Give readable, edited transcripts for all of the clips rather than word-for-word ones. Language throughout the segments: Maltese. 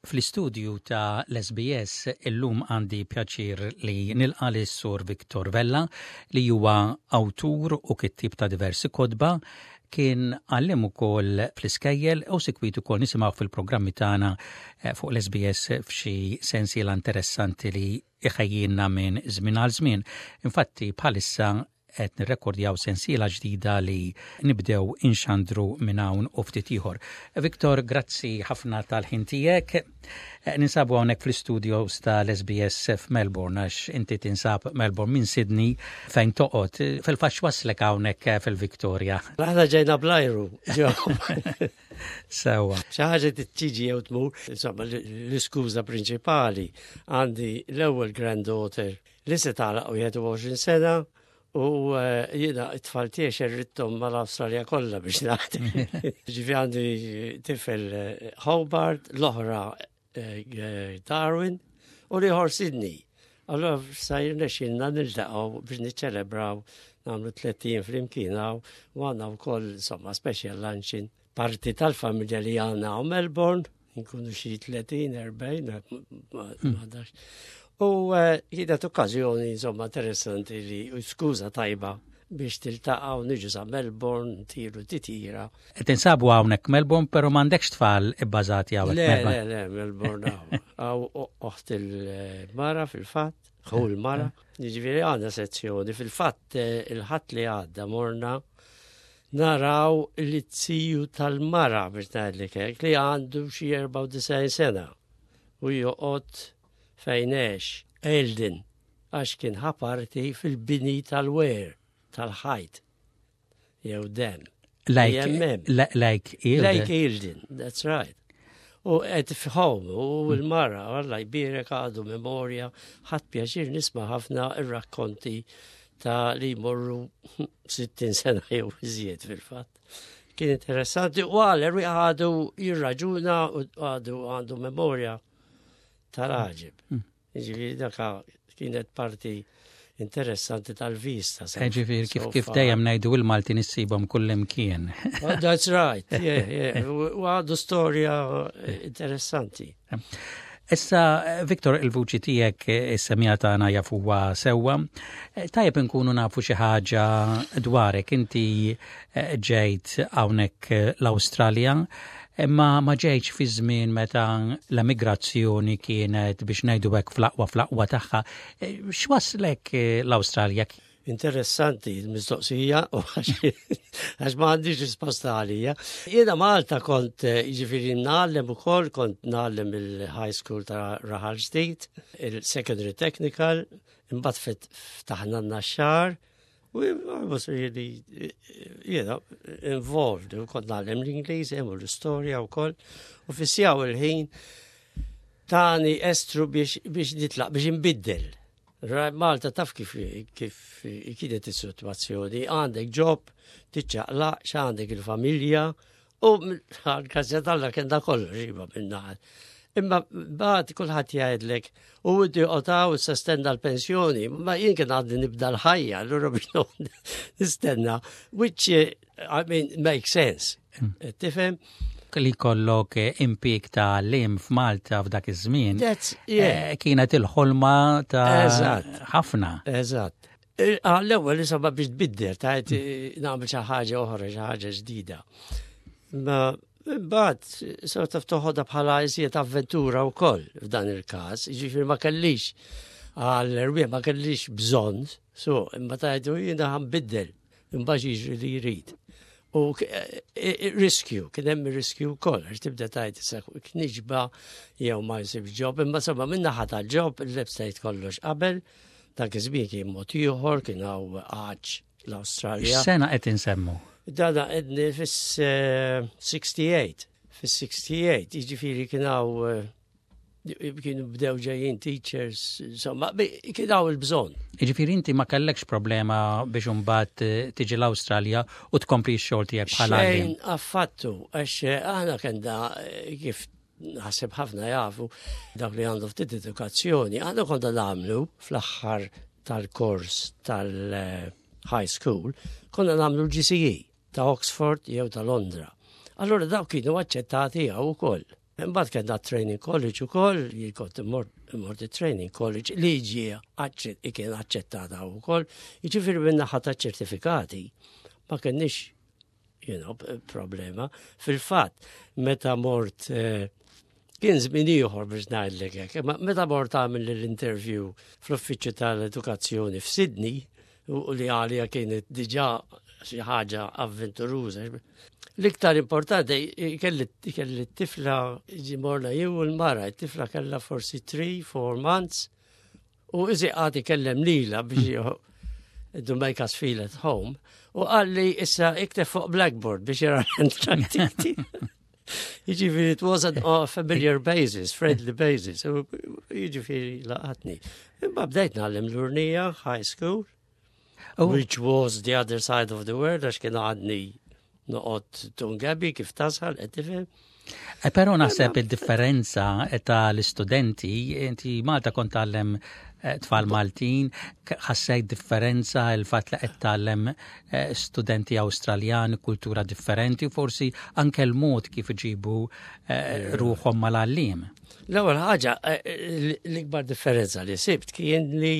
Fl-istudju ta' l-SBS illum għandi pjaċir li nilqa' lis-Sur Victor Vella li huwa awtur u kittieb ta' diversi kotba, kien għalliem ukoll fl-iskejjel u sikwit ukoll nisimgħu fil-programmi tagħna eh, fuq l-SBS f'xi sensiela interessanti li iħejjilna minn żmien għal żmien. Infatti bħalissa qed nirrekordjaw sensiela ġdida li nibdew inxandru minn hawn u ftit ieħor. Viktor, grazzi ħafna tal-ħin tiegħek. Eh, ninsabu hawnhekk fl-istudios tal-SBS f'Melbourne għax inti tinsab Melbourne minn Sydney fejn toqgħod. Fil-fatt waslek hawnhekk fil-Victoria. Aħna ġejna blajru. Sewa. Xi ħaġa tiġi jew tmur, insomma l-iskuża prinċipali għandi l-ewwel granddaughter li se tagħlaq 21 sena u eh, jiena it-tfal tiegħi xerrittom mal-Awstralja kollha biex nagħti. Ġifi għandi tifel eh, Hobart, l-oħra eh, Darwin u l-ieħor Sydney. Allora sa jirnexxilna niltaqgħu biex niċċelebraw nagħmlu tlettin flimkien u għandna wkoll insomma special luncheon parti tal-familja li għandna u Melbourne, nkunu xi 30, 40, ma U eh, kienet okkażjoni insomma interessanti li u skuża tajba biex tiltaqgħu niġu sa Melbourne, tiru titira. Tinsabu hawnhekk Melbourne, però m'għandekx tfal ibbażati hawnhekk Melbourne. Le, le, Melbourne hawn. Hawn oħt il-mara fil-fatt, ħu l-mara. Jiġifieri għandna sezzjoni fil-fatt eh, il-ħadd li għadda morna naraw li t-siju tal-mara biex ngħidlek hekk li għandu xi 94 sena u joqgħod fejn għex Eldin għax kien ħa parti fil-bini tal-wer tal-ħajt jew dem. Like, like Eildon. Like Eildon, that's right. U qed f'home u l-mara, Alla jbierek għadu memorja, ħadd pjaċir nisma' ħafna ir-rakkonti ta' li jmorru 60 sena jew iżjed fil-fatt. Kien interessanti u għal għadu jirraġuna u għadu għandu memorja tal-għaġeb. Hmm. Ġifieri daka kienet parti interessanti tal-vista. Eh, ġifieri kif kif dejjem ngħidu il-Malti nissibhom kullimkien. Oh, that's right, yeah, yeah. U għadu storja interessanti. Issa, Viktor, il-vuċi tiegħek is-semija tagħna jafuha sewwa. Tajjeb inkunu nafu xi ħaġa dwarek. Inti eh, ġejt hawnhekk l-Awstralja, imma ma ġejtx fi żmien meta l-emigrazzjoni kienet biex ngħidu hekk fl-aqwa fl-aqwa tagħha. Eh, x'waslek eh, l-Awstralja? Interessanti l-mistoqsija u għax ma għandix risposta għalija. Jiena Malta kont eh, jiġifieri ngħallem ukoll, kont ngħallem il-high school ta' Raħal Ġdid, il-secondary technical, imbagħad ftaħna n-naxxar, u I was really, you know, involved, u kont ngħallem l-Ingliż, u l-istorja wkoll, u fissjaw il-ħin tani estru biex, biex nitlaq, biex nbiddel. Malta taf kif kif kienet is-sitwazzjoni, għandek ġob, tiċċaqlaq, għandek il-familja, u għal-grazzja t'Alla kien da kollox iva minnaħal. Imma bad kulħadd jgħidlek u inti qotaw issa stenna l-pensjoni, ma jien kien għadni nibda l-ħajja, allura biex nistenna, which I mean makes sense. Hmm. Tifhem? li kollok eh, impik ta' lim f'Malta f'dak iż-żmien. Eh, kienet il-ħolma ta' ħafna. Eżatt. Eh, ah, l-ewwel insomma biex tbiddel, ta' nagħmel xi ħaġa oħra, xi ħaġa ġdida. Ma mbagħad sort of toħodha bħala iżjed avventura wkoll f'dan il-każ, jiġifieri ma kellix għal ma kellix bżonn, so imma tajdu jiena ħanbiddel. Imbagħad jiġri li jrid. U e, e, e, riskju, kien hemm riskju wkoll, għax tibda tajt issa kniġba jew ma jsibx ġob, imma somma minn naħa tal-ġob il-website kollox qabel, dak iż-żmien kien mod ieħor, kien hawn għaġ l-Awstralja. Sena qed insemmu? Dana qedni fis-68. Fis-68, jiġifieri kien hawn kienu bdew ġejjin teachers, insomma, kien hawn il-bżonn. Jiġifieri inti ma kellekx problema biex imbagħad eh, tiġi l-Awstralja u tkompli x-xogħol tiegħek bħala Xejn affattu, għax eh, aħna kellna eh, kif naħseb ħafna jafu dak li għandu ftit edukazzjoni, aħna konna nagħmlu fl-aħħar tal-kors tal-high school, konna nagħmlu l-GCE ta' Oxford jew ta' Londra. Allora dawk kienu aċċettati hawn ukoll. Imbagħad kellna training college ukoll, jien kont immort training college li ġie kien aċċettata wkoll, jiġifieri minn naħa ta' ċertifikati ma kenniex problema. Fil-fatt, meta mort eh, kien żmien ieħor biex ngħidlek hekk, imma meta mort għamil l-interview fl-uffiċċju tal-edukazzjoni f'Sydney, u li għalija kienet diġà xi ħaġa avventuruża. L-iktar importanti kelli t-tifla ġimorna jew l-mara, t-tifla kellha forsi 3-4 months u iżi għad ikellem lila biex to make us feel at home u qalli issa ikteb fuq blackboard biex jara l-handwriting. Jiġifieri it was on a familiar basis, friendly basis. Jiġifieri laqatni. Imma bdejt nagħllem l-Urnija high school, oh. which was the other side of the world, għax kien għadni noqgħod Tungabi kif tasal, qed tifhem. Eh, però naħseb id-differenza ta' l-istudenti, inti Malta kont tgħallem eh, tfal Maltin, ħassejt differenza il-fatt li qed tgħallem eh, studenti Awstraljani, kultura differenti, u forsi anke l-mod kif iġibu ruħhom mal-għalliem. L-ewwel ħaġa, l-ikbar differenza li sibt kien li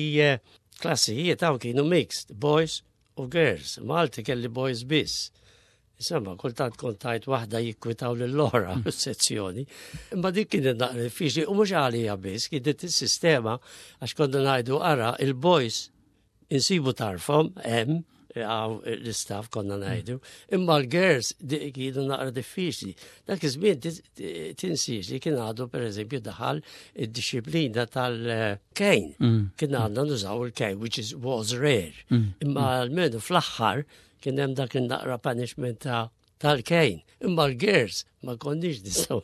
klassijiet hawn kienu mixed, boys u girls. Malti kelli boys biss. Insomma, kultant kont tajt waħda jikkwitaw lill-oħra sezzjoni. Imma dik kienet naqra diffiċli u mhux għalija biss, kienet is-sistema għax konna ngħidu ara il-boys insibu tarfhom hemm għaw l-istaff konna ngħidu, imma l-girls kienu naqra diffiċli. Dak iż-żmien tinsiex li kien għadu pereżempju daħal id-disciplina tal-cane. Kien għandna nużaw il-cane, which is was rare. Imma almenu fl-aħħar kien hemm dak in-naqra punishment ta' tal-cane. Imma l-girls ma konniex nistgħu.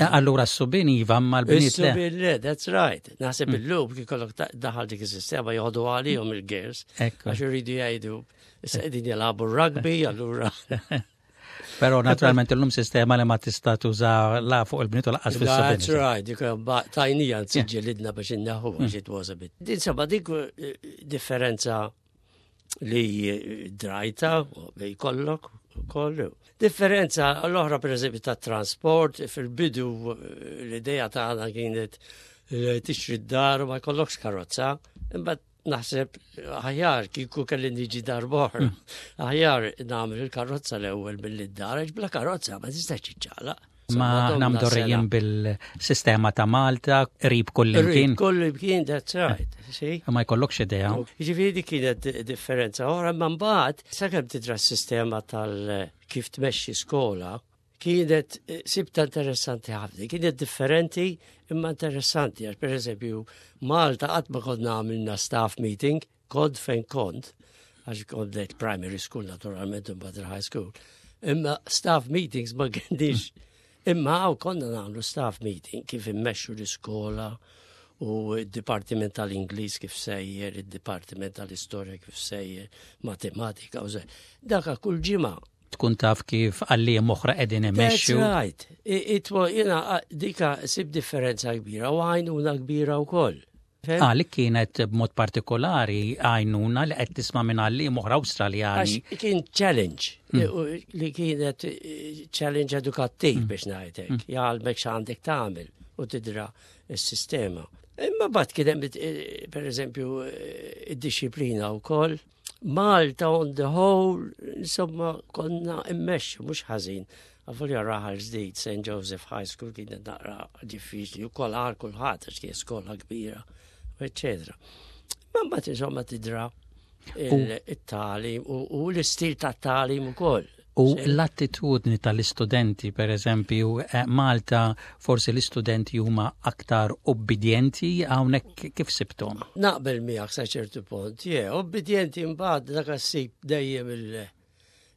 Allura s-subien iva ma l-bniet le. Is-subien le, that's right. Naħseb mm. illum kif kollok daħal dik is-sistema joħdu għalihom il-girls. Għax iridu jgħidu issa qegħdin jilagħbu rugby allura. Però naturalment illum sistema li ma tista' tuża la fuq il-bniet u laqqas fis-subien. That's right, dik tajnija nsiġġilidna biex inneħħu għax it was a bit. Insomma dik eh, differenza li drajta li jkollok ukoll. Differenza l-oħra pereżempju ta' trasport fil-bidu eh, l-idea tagħna kienet li tixtri d-dar u ma jkollokx karozza, imbagħad naħseb aħjar kieku kelli niġi dar boħra. Hmm. Aħjar nagħmel il-karozza l-ewwel billi d-dar, għax bla karozza ma tistax tiċċaqlaq. Ma aħna mdorrijin bil-sistema ta' Malta, qrib kullimkien. Qrib kullimkien, that's right. See? Ma jkollokx idea. Jiġifieri dik kienet differenza oħra, ma mbagħad sakemm tidra s-sistema tal kif tmexxi skola, kienet eh, sibta interessanti ħafna, kienet differenti imma interessanti, għax per eżempju Malta qatt ma konna għamilna staff meeting, kont fejn kont, għax kont bdejt primary school naturalment u mbagħad high school. Imma staff meetings ma kienx. Imma għaw konna nagħmlu staff meeting kif immexxu l-iskola u d-dipartiment tal-Ingliż kif sejjer, id-dipartiment tal-istorja kif sejjer, matematika u Daka kull ġimgħa tkun taf kif għalliem oħra qegħdin imexxu. That's right. It, jena dika sib differenza kbira u għajnuna kbira wkoll. Għalik kienet b'mod partikolari għajnuna li qed tisma' minn għalliem oħra Awstraljani. Għax kien challenge, hmm. li kienet eh, challenge edukattiv hmm. biex ngħidlek, hmm. jgħalmek x'għandek tagħmel u tidra s-sistema. Imma bat kien hemm eh, pereżempju eh, id-disciplina wkoll. Malta on the whole, insomma, konna immexxu mhux ħażin. Avolja raħal ġdid, St. Joseph High School kienet naqra diffiċli, u kol għal kulħadd għax kien skola kbira, eccetera. Ma mbagħad insomma tidra il-talim u l-istil ta' talim ukoll. U l-attitudni tal-istudenti, per eżempju, eh, Malta forsi l-istudenti huma aktar obbedjenti hawnhekk kif sibtom? Naqbel miegħek sa ċertu punt, je, obbedjenti mbagħad dak ssib dejjem il-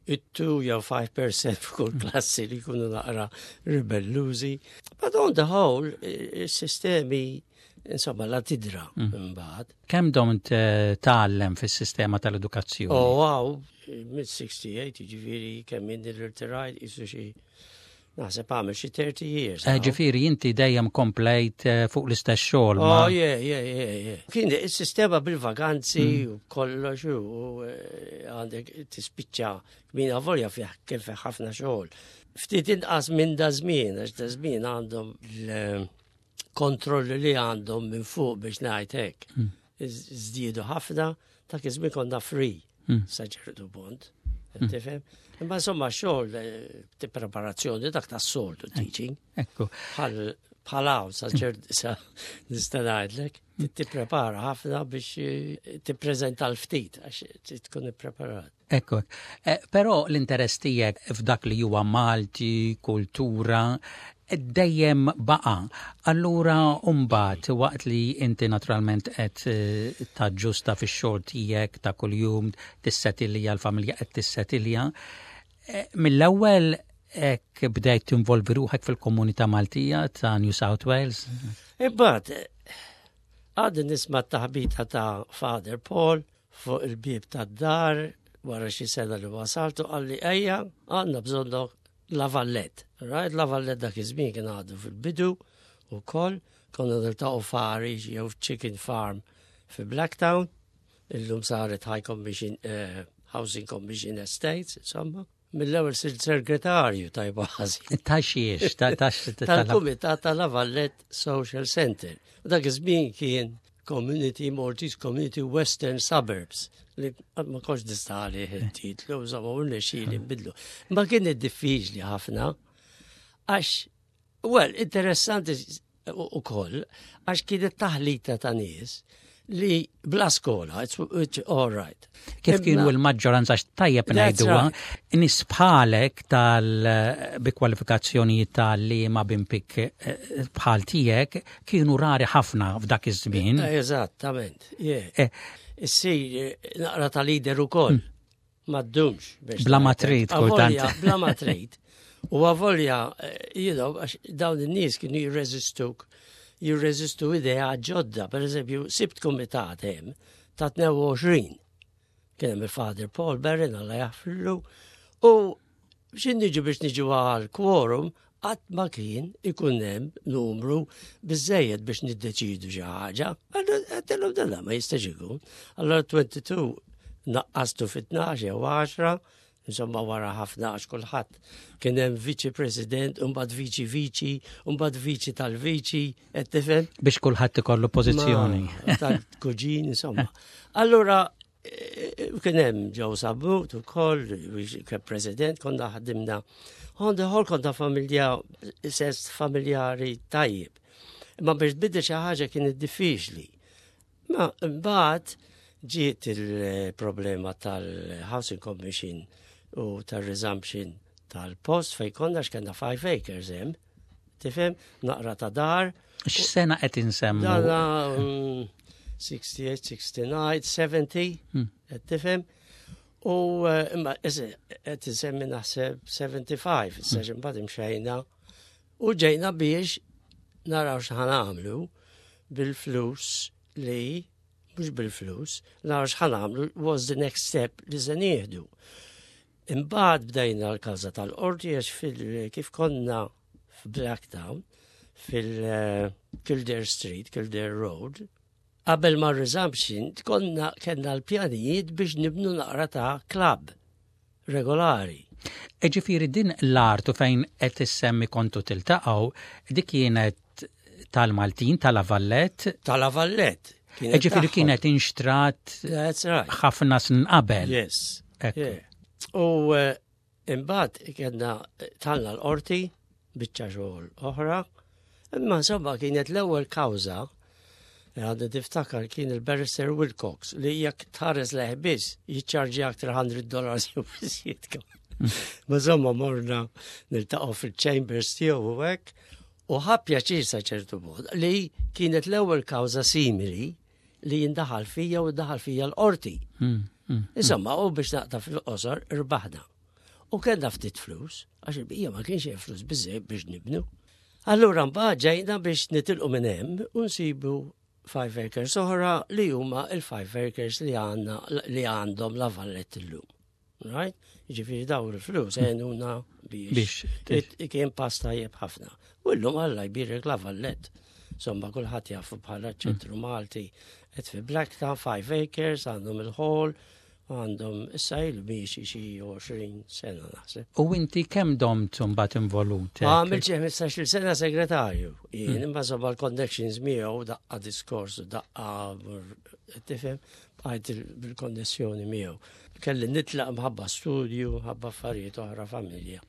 it-2 jew 5% f'kull klassi li jkunu naqra ribellużi. But on the whole, il-sistemi insomma la tidra mm. mbagħad. Kemm domt eh, tgħallem fis-sistema tal-edukazzjoni? Oh wow, mid-68 jiġifieri kemm inni l-irtirajt jisu xi naħseb għamel xi 30 years. Eh, ġifieri inti dejjem komplejt eh, fuq l-istess xogħol. Oh yeah, yeah, yeah, yeah. Kien is-sistema bil-vaganzi mm. u kollox u eh, għandek tispiċċa min avolja fih kien fih ħafna xogħol. Ftit inqas minn da żmien, għax da żmien għandhom l-kontrolli li għandhom minn fuq biex ngħid hekk. Żdiedu ħafna, dak iż-żmien konna free sa ċertu punt. Tifhem? Imma insomma xogħol eh, preparazzjoni dak tas-soltu teaching. Ekku. Bħal hawn sa ċert sa nista' ngħidlek, tipprepara ħafna biex eh, tippreżenta l-ftit għax tkun ippreparat. Ekku. Eh, però l-interess tiegħek f'dak li huwa Malti, kultura, dejjem baqa. Allura mbagħad waqt li inti naturalment qed eh, taġġusta fix-xogħol tiegħek ta' kuljum tissetilja l-familja qed tissetilja, eh, mill-ewwel hekk bdejt tinvolvi ruħek fil-komunità Maltija ta' New South Wales? Imbagħad għadni nisma' t-taħbita ta' Father Paul fuq il-bieb tad-dar wara xi sena li wasaltu qalli ejja għandna bżonnok La Vallette. Right? La Vallette dak iż-żmien kien għadu fil-bidu ukoll konna niltaqgħu Farish jew Chicken Farm fi Blacktown. Illum saret High Commission, eh, Housing Commission Estates, insomma. Mill-ewwel sirt segretarju tajba ħażin. Ta' xiex, ta' tal-Kumitat ta' La Vallette Social Center. U dak iż-żmien kien Community Maltese Community Western Suburbs li ma konx nista' il-titlu, insomma, u nexxieli nbidlu. Ma kien diffiċli ħafna għax, well, interessanti u koll, għax kienet taħlita ta' nies li bla skola, it's, it's all right. Kif kienu l-maġġoranza tajjeb ngħiduha, nies bħalek tal bi kwalifikazzjoni tal-li ma bimpik eh, bħal tiegħek kienu rari ħafna f'dak iż-żmien. Eh, eżattament, yeah. Eh. Issir naqra ta' leader ukoll. Ma ddumx. Bla ma trid, kultant. Bla ma trid. U avolja, you know, għax dawn in-nies kienu jirreżistuk, jirreżistu idea ġodda. Per eżempju, sibt kumitat hemm ta' 22. Kien hemm il-Father Paul Berrin, Alla jaħfirlu, u biex niġu biex niġu għal quorum, qatt ma kien ikun hemm numru biżejjed biex niddeċidu xi ħaġa. Għedtilhom dalla ma jistax ikun. Allora 22 naqqastu fit-12 jew 10, insomma wara ħafna għax kulħadd kien hemm viċi president, u mbagħad viċi viċi, u mbagħad viċi tal-viċi, qed tifhem? Biex kulħadd ikollu pożizzjoni. Tal-kuġin, insomma. Allura kien hemm Joe Sabbut ukoll, kien president, konna ħadimna. On the whole konna familja, sens familjari tajjeb. Imma biex tbiddel xi ħaġa kienet diffiċli. Ma mbagħad ġiet il-problema tal-Housing Commission u tal-resumption tal-post fej konna x'kellna 5 acres hemm. Tifhem? Naqra ta' dar. X'sena qed insemmu? Dana 68, 69, 70, qed tifhem? U eh, imma qed insemmi naħseb 75, issa imbagħad imxejna u ġejna biex naraw x'ħa nagħmlu bil-flus li mhux bil-flus, naraw x'ħa nagħmlu was the next step li se nieħdu. Imbagħad bdejna l-kawża tal-qorti għax kif konna f'Blacktown fil-Kildare Street, Kildare Road, qabel ma resumption konna kellna l-pjanijiet biex nibnu naqra ta' club regolari. Ġifieri din l-art u fejn qed issemmi kontu tiltaqgħu, dik kienet tal-Maltin, ta' La Vallette. Ta' La Vallette. Ġifieri kienet inxtrat ħafna snin qabel. Yes. U eh, imbagħad kellna talna l-qorti biċċa xogħol oħra, imma insomma kienet l-ewwel kawża għadni tiftakar kien il-barrister Wilcox li jekk tħares leħ biss jiċċarġi aktar 100 dollars jew biss Ma insomma morna niltaqgħu fil-chambers tiegħu u hekk u ħa pjaċir sa ċertu mod li kienet l-ewwel kawża simili li jindaħal fija u daħal fija l-qorti. Insomma, u biex naqta fil-qosor irbaħna. U kellna ftit flus, għax il-bqija ma kienx hemm flus biżejjed biex nibnu. Allura mbagħad ġejna biex nitilqu minn hemm u nsibu five acres oħra li huma il-five acres li għandna li għandhom La Vallette illum. Right? Ġifieri dawn il-flus għenuna biex kien pass tajjeb ħafna. U llum Alla jbierek La Vallette. Insomma, kulħadd jafu bħala ċentru Malti. Qed fi Blacktown, five acres, għandhom il-hall. Għandhom issa ilu miexi xi 20 sena naħseb. U inti kemm domt mbagħad involut? Għamil xi 15-il sena segretarju. Jien imma żoba l-connections miegħu daqqa diskors u daqqa tifhem bqajt bil-konnessjoni miegħu. Kelli nitlaq mħabba studju, mħabba affarijiet oħra familja.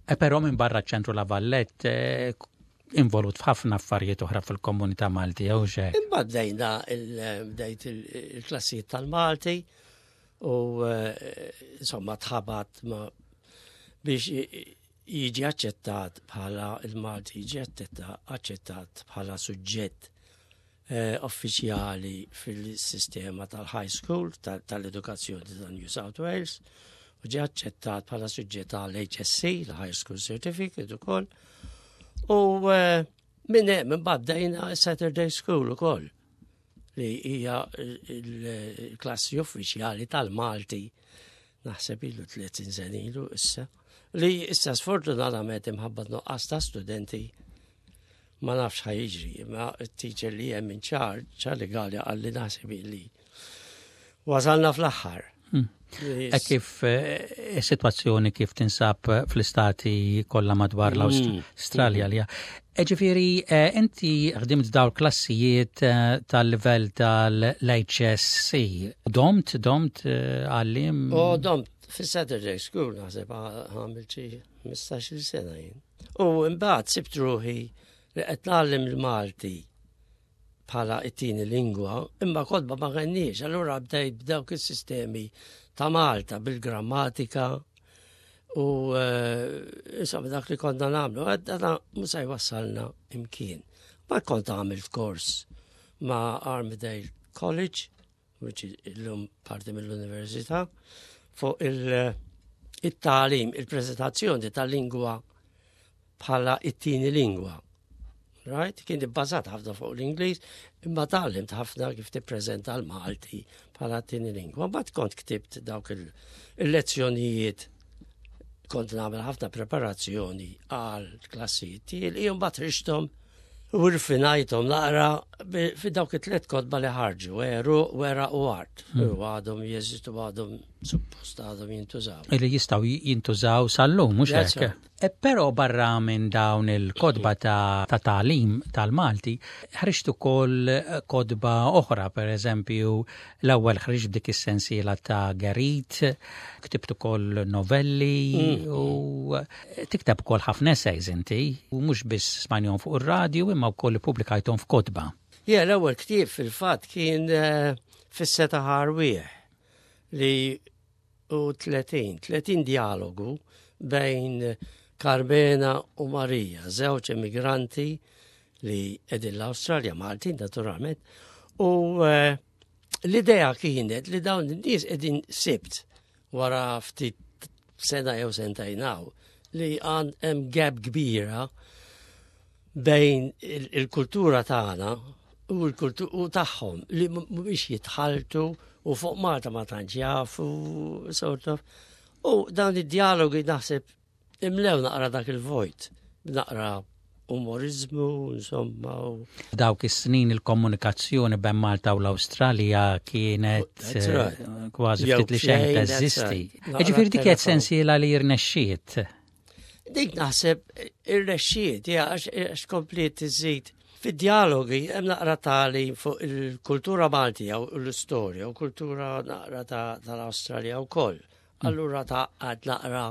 E però minn barra ċentru La Vallette eh, involut f'ħafna affarijiet oħra fil-komunità Malti jew xejn. Imbagħad bdejna bdejt il-klassijiet tal-Malti u eh, insomma tħabat ma biex jiġi aċċettat bħala il-Malti jiġi aċċettat bħala suġġett eh, uffiċjali fil-sistema tal-high school tal-edukazzjoni ta' New South Wales u ġie aċċettat bħala suġġett tal-HSC, l-High School Certificate ukoll. U eh, minn hemm imbagħad bdejna Saturday School ukoll li hija l-klassi uffiċjali tal-Malti naħseb ilu 30 sena ilu issa li issa sfortunatament imħabba nuqqas ta' studenti ma nafx ħa jiġri, imma t-teacher li hemm in charge, Charlie Gallia qalli naħseb li wasalna fl-aħħar. E kif eh, is-sitwazzjoni kif tinsab fl-istati kollha madwar hmm. l-Awstralja li e ġifieri eh, inti ħdimt dawn klassijiet eh, tal-livell tal-HSC. Domt, domt għallim? O domt fis-Saturday School naħseb għamil xi 15-il sena jien. U mbagħad sibt ruħi li qed ngħallem il-Malti bħala it-tieni lingwa, imma kotba ma kenniex, allura bdejt b'dawk is-sistemi ta' Malta bil-grammatika u eh, insomma dak li konna nagħmlu, għadda mhux se jwassalna imkien. Ma kont għamilt kors ma' Armidale College which illum parti mill-università, fuq il-talim, il-prezentazzjoni tal-lingwa bħala it-tieni lingwa. Right? Kien ibbażat ħafna fuq l-Ingliż, imma tgħallimt ħafna kif tippreżenta l-Malti bħala t-tieni lingwa. Mbagħad kont ktibt dawk il-lezzjonijiet kont nagħmel ħafna preparazzjoni għal klassijiet tiegħi li mbagħad ħriġthom u rfinajthom naqra fi dawk it-tliet kotba li ħarġu, Eru, Wera u Art. U għadhom jeżistu għadhom suppost għadhom jintużaw. Li jistgħu jintużaw sal-lum, mhux hekk? E però barra minn dawn il-kotba ta' tagħlim tal-Malti, ħriġt ukoll kotba oħra, per eżempju, l-ewwel ħriġt b'dik is-sensiela ta' Gerit, ktibt ukoll novelli u Tikteb ukoll ħafna essays inti, u mhux biss smajnihom fuq ir-radju imma wkoll ippubblikajthom f'kotba. Ja, l-ewwel ktieb fil-fatt kien eh, fis-seta ħarwieħ li u 30, 30 dialogu bejn Carmena u Marija, żewġ immigranti li qegħdin l-Awstralja, Maltin naturalment, u eh, l-idea kienet li dawn in-nies qegħdin sibt wara ftit sena jew sentejn hawn li għand hemm gap kbira bejn il-kultura tagħna u l-kultura tagħhom li mhumiex jitħaltu u fuq Malta ma tantx jafu sort of. U dawn id-dialogi naħseb Imlew naqra dak il-vojt, naqra umorizmu, insomma. U... Dawk is-snin il-komunikazzjoni bejn Malta u l-Awstralja kienet eh, kważi ftit li xejn teżisti. Ġifieri dik qed sensiela li rnexxiet. Dik naħseb irnexxiet, għax kompliet iżid Fid-dialogi hemm naqra tali fuq il-kultura Maltija u l-istorja u kultura naqra tal-Awstralja wkoll. Allura tgħaqqad naqra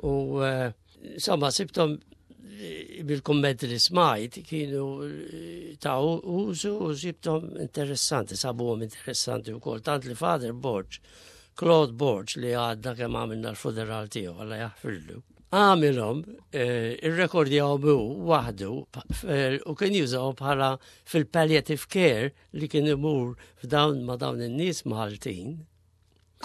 u eh, insomma sibtom eh, bil-kummenti li smajt kienu eh, ta' użu u sibtom interessanti, sabuhom interessanti wkoll. Tant li Father Borg, Claude Borg li għadna kemm għamilna l-funeral tiegħu Alla jaħfirlu. Għamilhom irrekordjahom hu waħdu u kien jużahom bħala fil-palliative care li kien imur f'dawn ma' dawn in-nies Maltin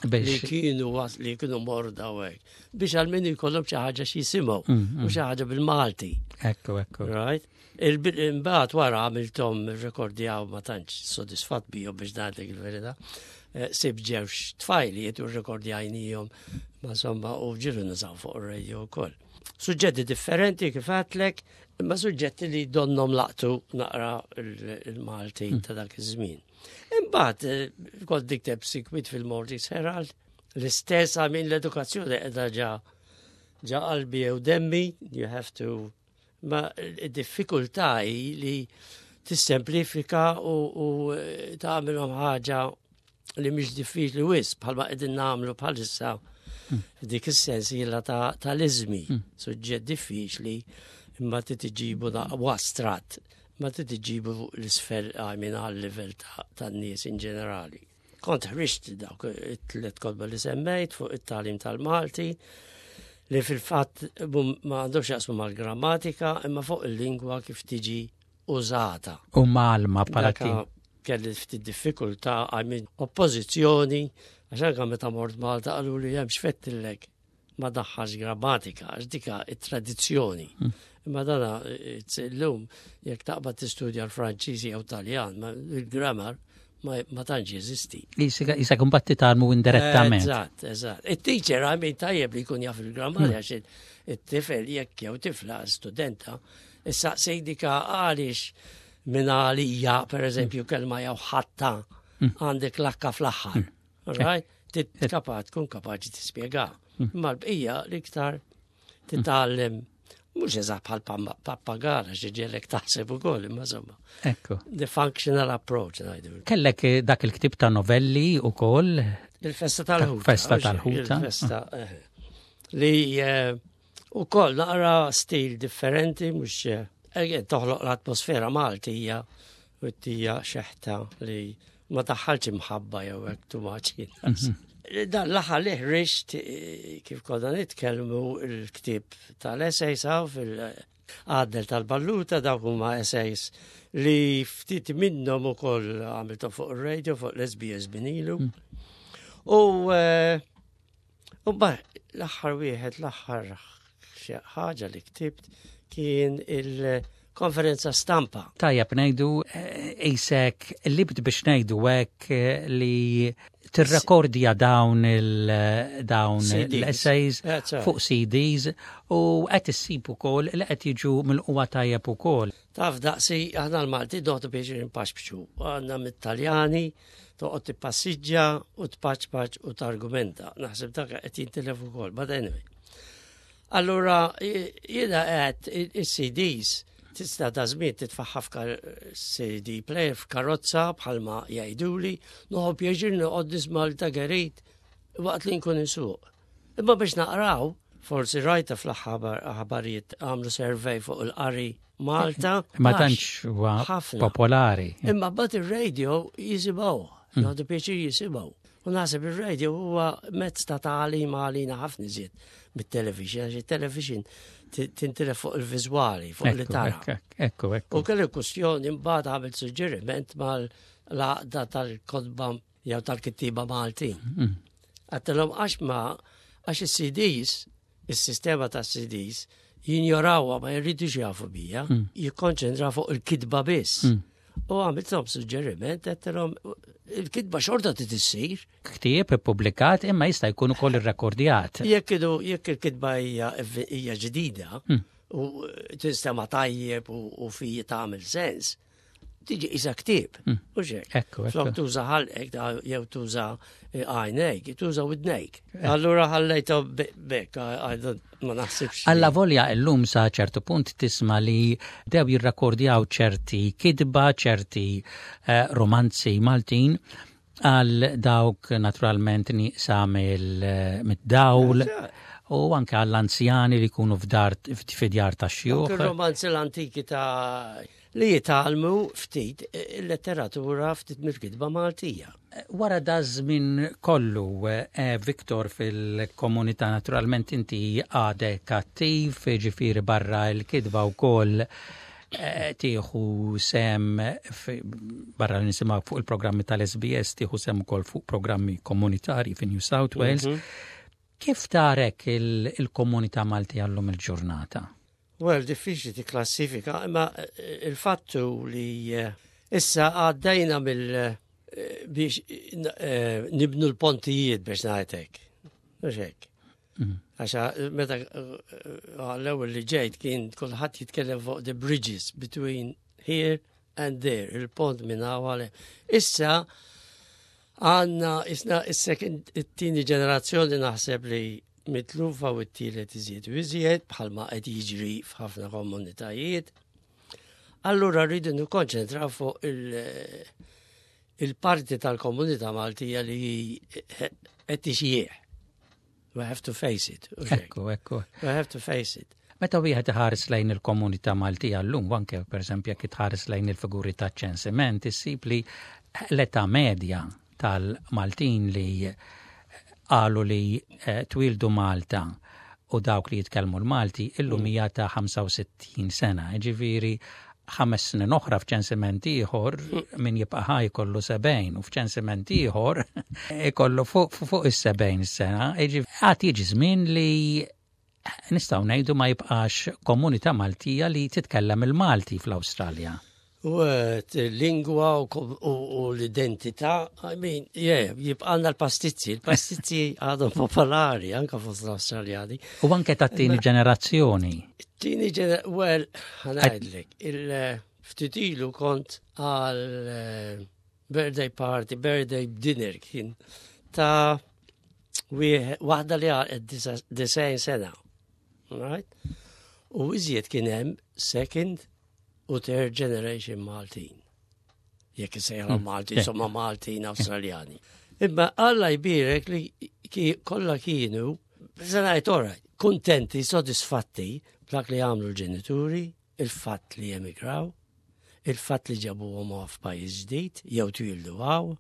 li kienu li kienu morda u hekk. Biex għal min jkollhom xi ħaġa xi jisimgħu u xi ħaġa bil-Malti. Ekku, ekku. Right? Imbagħad wara għamilthom rekordjaw ma tantx sodisfatt bihom biex ngħidlek il-verità. Eh, sib ġewx tfajliet u rekordjajnijhom ma insomma u ġilu nużaw fuq ir-radio wkoll. Suġġetti differenti kif għatlek, imma suġġetti li donnom laqtu naqra il-Malti ta' dak iż-żmien. Imbagħad eh, kont nikteb sikwit fil-Maltese Herald. L-istess għamin l-edukazzjoni qiegħda ġa ġa qalbi jew demmi, you have to ma id-diffikultà hi li tissemplifika u, u eh, tagħmilhom ħaġa li mhix diffiċli wisq bħalma qegħdin nagħmlu bħalissa f'dik is-sensiela tal-iżmi, suġġett diffiċli imma trid iġibu u astratt, imma trid iġibu l-isfel minn għal-livell tan-nies in ġenerali. Kont ħriġt dawk it-tliet kotba li semmejt fuq it-tagħlim tal-Malti li fil-fatt ma għandhomx jaqsmu mal-grammatika imma fuq il-lingwa kif tiġi użata. U malma bħala kelli ftit diffikultà għal oppożizzjoni għax anke meta mort Malta qalu li hemm xfettillek ma daħħax grammatika għax dika it-tradizzjoni. Imma dana illum jekk taqbad tistudja l-Franċiż jew Taljan, il-grammar ma tantx jeżisti. Isa kumbat titgħallmu indirettament. Eżatt, eżatt. It-teacher għamil tajjeb li jkun jaf il-grammar għax it-tifel jekk jew tifla studenta issa sejdika għaliex minn għalija, per eżempju, kelma jew ħatta għandek lakka fl-aħħar. Right? Kapaċ, tkun kapaċi tispjega. Imma l-bqija l-iktar titgħallem mhux eżatt bħal pappagara xi ġelek taħseb ukoll, imma insomma. Ekku. The functional approach ngħidu. Kellek eh, dak il-ktib ta' novelli ukoll. Il-festa tal-ħuta. Festa tal-ħuta. Il-festa. Eh, li eh, ukoll naqra stil differenti mhux toħloq l-atmosfera Maltija u tija xeħta li ma daħħalx imħabba jew hekk too much. Dan l-aħħar li ħriġt eh, kif konna nitkellmu l-ktieb tal-essays hawn fil-għaddel tal-balluta dawk huma essays li ftit minnhom ukoll għamilthom fuq ir-radio fuq l-SBS binilu. U eh, u l-aħħar wieħed l-aħħar ħaġa li ktibt kien il-konferenza stampa. Tajjeb ngħidu qisek eh, libt biex ngħidu hekk eh, li tirrekordja dawn il dawn l-essays fuq CDs u qed issib ukoll li qed jiġu mill-qwa tajjeb ukoll. Taf daqsi aħna l-Malti doħdu biex rinpaxbxu. Għandna mit-Taljani toqgħod tippassiġġa u tpaċpaċ u targumenta. Naħseb dak qed jintilef ukoll, but anyway. Allura jiena qed is-CDs tista' ta' żmien titfaħħa f'CD player f'karozza bħalma jgħiduli, noħu pjaċir noqgħod nisma' l ta' Gerit waqt li nkun insuq. Imma biex naqraw, forsi rajta fl-aħħar aħbarijiet għamlu survey fuq il-qari Malta. Ma tantx huwa popolari. Imma bat ir-radio jisimgħu, jgħodu pjaċir jisimgħu. U naħseb ir-radio huwa mezz ta' tagħlim għalina ħafna iżjed mit-television, għax il-television tintilef fuq il-viżwali, fuq li tara. Ekku, ekku. U kelli kwestjoni mbagħad għamilt suġġeriment mal-għaqda tal-kotba jew tal-kittiba Maltin. Għattilhom għax ma għax is-CDs, is-sistema ta' CDs, jinjorawha ma jridux jafu bija, jikkonċentra fuq il-kitba biss. U għamilthom suġġeriment, għattilhom il-kitba xorta trid issir. Ktieb ippubblikat imma jista' jkun ukoll irrekordjat. Jekk jekk il-kitba hija ġdida u tinstema' tajjeb u fi tagħmel sens, tiġi isa ktieb. U xek. Ekku, Flok tuża ħalqek jew tuża eh, għajnejk, tuża widnejk. Eh. Allura ħallejtu bekk, ma naħsibx. Alla volja illum sa ċertu punt tisma' li dew jirrakordjaw ċerti kitba, ċerti eh, romanzi Maltin għal dawk naturalment nieqsa mid-dawl u anke għall-anzjani li jkunu f'dar fid-djar ta' xjuħ. Romanzi l-antiki ta' li jitgħallmu ftit il-letteratura ftit mill-kitba Maltija. Wara da żmien kollu, eh, Viktor, fil-komunità naturalment inti għadek attiv, ġifieri barra l-kitba wkoll eh, tieħu sem barra li nisimgħu fuq il-programmi tal-SBS tieħu sem ukoll fuq programmi komunitarji fi New South Wales. Kif tarek il-komunità Malti għallum il-ġurnata? Well, diffiċli tikklassifika, imma eh, il-fattu li eh, issa għaddejna mill biex nibnu l-pontijiet biex ngħidlek. Mhux hekk. Għax meta għall-ewwel li ġejt kien kulħadd jitkellem fuq the bridges between here and there, il-pont minn hawn Issa Għandna isna is-second it-tieni ġenerazzjoni naħseb li mitlufa u t-tielet iżjed u iżjed bħalma qed jiġri f'ħafna komunitajiet. Allura rridu nikkonċentraw fuq il-parti tal-komunità Maltija li qed tixjieħ. We have to face it. Ekku, ekku. We have to face it. Meta wieħed iħares lejn il-komunità Maltija llum, anke pereżempju jekk tħares lejn il-figuri ta' ċensiment, issib li l-età medja tal-Maltin li qalu li eh, twildu Malta u dawk li jitkellmu l-Malti illum mm. hija ta' 65 sena. Ġifieri ħames snin oħra f'ċensiment ieħor min jibqa' ħaj jkollu 70 u f'ċensiment ieħor ikollu fuq fuq is-70 sena. Għad jiġi żmien li nistgħu ngħidu ma jibqax komunità Maltija li titkellem il-Malti fl-Awstralja. U lingwa u l-identità, I mean, yeah, jibqalna l-pastizzi, l-pastizzi għadhom popolari anka fost l-Awstraljani. U anke tat-tieni ġenerazzjoni. Tieni ġenerazzjoni, well, ħa ngħidlek, il-ftit ilu kont għal eh, birthday party, birthday dinner kien ta' waħda li għal 90 sena. Right? U iżjed kien hemm second u third generation Maltin. Jekk isejħu hmm. Malti, insomma Maltin Awstraljani. Imma Alla jbirek li kollha kienu, se ngħid alright, kuntenti, sodisfatti b'dak li għamlu l-ġenituri, il-fatt li emigraw, il-fatt li ġabuhom f'pajjiż ġdid jew twildu hawn,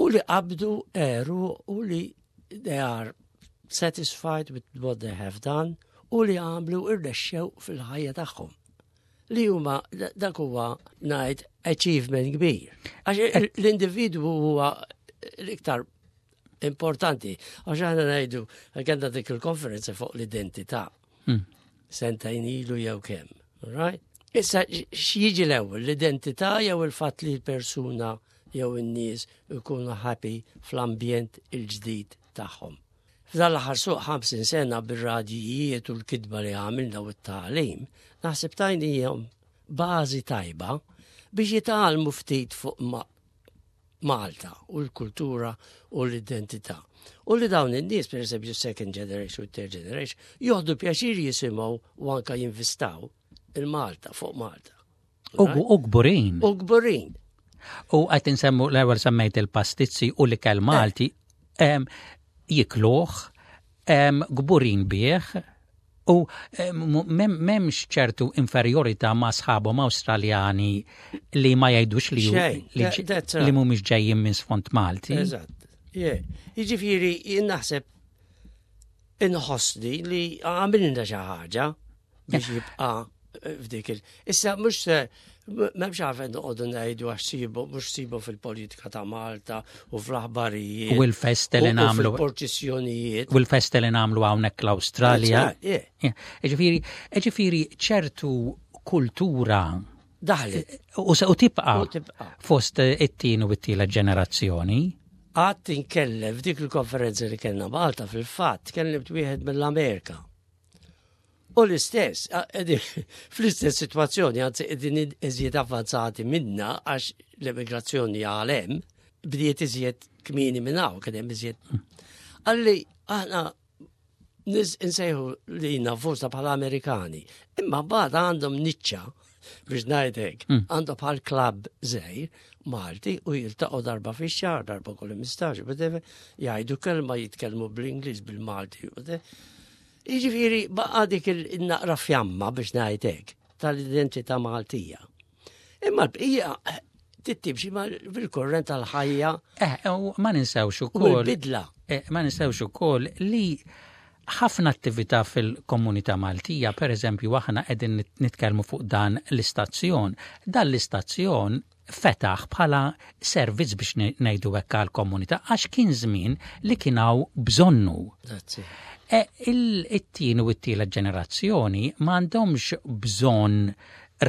u li qabdu eru u li they are satisfied with what they have done u li għamlu irnexxew fil-ħajja tagħhom. Li huma dak huwa ngħid achievement kbir. Għax l-individwu huwa l-iktar importanti. Għax aħna ngħidu kellna dik il-konferenza fuq l-identità. Sentejn ilu jew kemm. Right? Issa x'jiġi l-ewwel l-identità jew il-fatt li l-persuna jew in-nies ikunu happy fl-ambjent il-ġdid tagħhom. F'dan l-aħħar suq 50 sena bir-radjijiet u l-kitba li għamilna u t-tagħlim, naħseb tajnihom bażi tajba biex jitgħallmu ftit fuq Malta u l-kultura u l-identità. U li dawn in-nies, per eżempju, second generation u third generation, joħdu pjaċir jisimgħu u anka jinvistaw il-Malta fuq Malta. U kburin. U kburin. U qed insemmu l-ewwel semmejt il-pastizzi u l-ikel Malti jikluh, kburin bih, u m'hemmx ċertu inferjorità ma' sħabhom Awstraljani li ma jgħidux li li mhumiex ġejjin minn sfond Malti. Eżatt. Jiġifieri jien naħseb inħossni li għamilna xi ħaġa biex jibqa' f'dik il. Issa mhux se m'hemmx għalfejn noqogħdu ngħidu għax sibu mhux sibu fil-politika ta' Malta u fl-aħbarijiet. U l-festa li nagħmlu. Fil-porċissjonijiet. U l-festa li nagħmlu hawnhekk l-Awstralja. Ġifieri, ġifieri ċertu kultura daħlet. U tibqa' fost it-tieni u t-tielet ġenerazzjoni. Għad inkellem f'dik il-konferenza li kellna Malta fil-fatt, kellimt wieħed mill-Amerika. U l-istess, fl-istess situazzjoni, anzi qegħdin iżjed avvanzati minna għax l-immigrazzjoni għal hemm bdiet iżjed kmieni minn hawn, kien hemm iżjed. Għalli aħna nies insejħu li nafusna bħala Amerikani, imma bad għandhom niċċa biex ngħidlek, għandhom bħal klabb żgħir Malti u jiltaqgħu darba fix-xahar, darba kull 15, jgħidu kelma jitkellmu bl-Ingliż bil-Malti. Jiġifieri baqa' dik il-naqra fjamma biex ngħid hekk tal-identità Maltija. Imma l-bqija tittimxi bil-kurrent tal-ħajja. Eh, u ma ninsewx ukoll. Bidla. Eh, ma ninsewx ukoll li ħafna attività fil-komunità Maltija, per eżempju, aħna qegħdin nitkellmu fuq dan l-istazzjon. Dan l-istazzjon fetaħ bħala servizz biex ngħidu hekk għall-komunità għax kien żmien li kien hawn bżonnu. E, it-tieni u t-tielet ġenerazzjoni m'għandhomx bżonn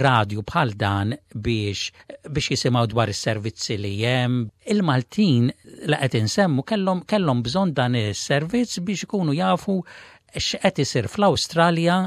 radju bħal dan biex biex jisimgħu dwar is-servizzi li hemm. Il-Maltin li qed insemmu kellhom kellhom bżonn dan is-servizz biex ikunu jafu x'qed isir fl-Awstralja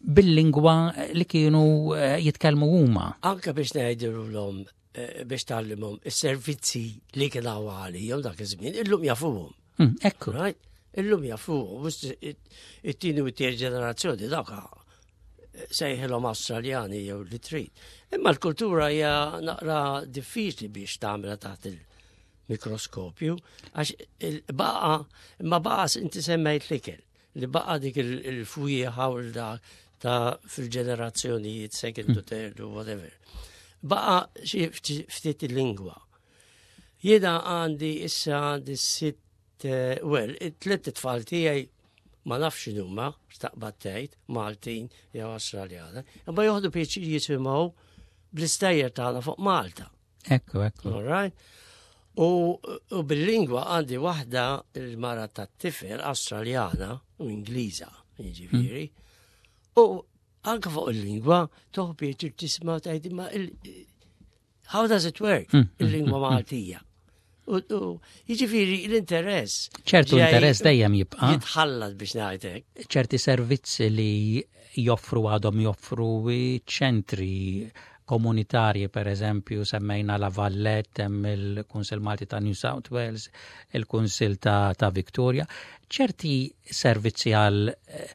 bil-lingwa li kienu eh, jitkellmu huma. Anke biex ngħidilhom eh, biex tgħallimhom is-servizzi li kien hawn għalihom dak iż-żmien, illum jafuhom. Mm, ekku. Right? Illum jafuhom, it-tieni u t-tieni ġenerazzjoni dawk eh, sejħilhom Awstraljani jew li trid. Imma l-kultura hija naqra diffiċli biex tagħmilha taħt il-mikroskopju, għax baqa, imma baqa inti semmejt l-ikel, li baqa dik il-fwieħa u dak ta' fil-ġenerazzjonijiet second to third u whatever. Baqa xi ftit il-lingwa. Jiena għandi issa għandi sitt, eh, well, it-tliet tfal tiegħi ma nafx x'inhuma, x'taqbad tgħid, Maltin jew Awstraljana, imma joħdu pjaċir jisimgħu bl-istejjer tagħna fuq Malta. Ekku, ekku. All right? U, u bil-lingwa għandi waħda il-mara tat-tifel Awstraljana u Ingliża, jiġifieri. Mm. U anke fuq il-lingwa toħu pjaċir tisma' tgħid imma how does it work? Mm, mm, il-lingwa Maltija. U jiġifieri l-interess. ċertu interess dejjem jibqa'. Jitħallat biex ngħidlek. ċerti servizzi li joffru għadhom joffru ċentri komunitarji, per eżempju, semmejna La Vallette, hemm il-Kunsill Malti ta' New South Wales, il-Kunsill ta', ta Victoria. ċerti servizzi għal eh,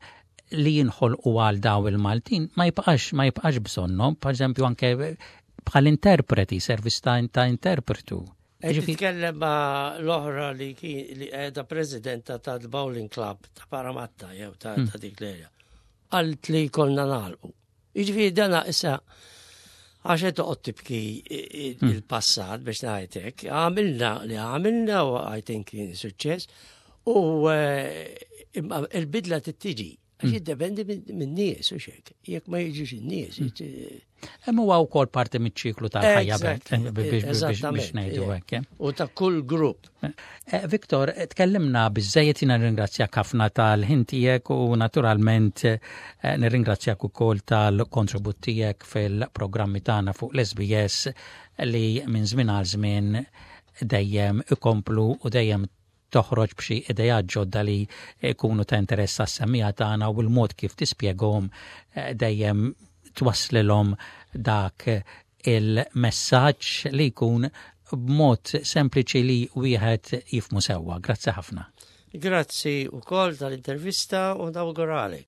li jinħolqu għal daw il-Maltin ma jibqax ma jibqax bżonnhom, per eżempju anke bħal interpreti, servizz ta', ta interpretu. Qed titkellem ma' l-oħra li kien li qiegħda presidenta tal-Bowling Club ta' Parramatta jew ta' ta' dik l-area. Qalt li konna nagħlqu. Jiġifieri dana issa għax qed toqgħod tibki il-passat biex ngħidlek, għamilna li għamilna u I think kien suċċess u eh, imma il-bidla tittiġi. Għax jiddependi minn nies u xek. Jekk ma jiġux in-nies. Hemm huwa wkoll parti miċ-ċiklu tal-ħajja biex ngħidu hekk. Eh. U ta' kull grupp. Eh, Viktor, tkellimna biżejjed jiena nirringrazzjak ħafna tal-ħin tiegħek u naturalment eh, nirringrazzjak ukoll tal-kontribut tiegħek fil-programmi tagħna fuq l-SBS li minn żmien għal żmien dejjem ikomplu u dejjem toħroġ b'xi idejat ġodda li jkunu ta' interess għas-semmiegħa tagħna u l-mod kif tispjegahom eh, dejjem twasslilhom dak il-messaġġ li jkun b'mod sempliċi li wieħed jifhmu sewwa. Grazzi ħafna. Grazzi wkoll tal-intervista u nawgurali.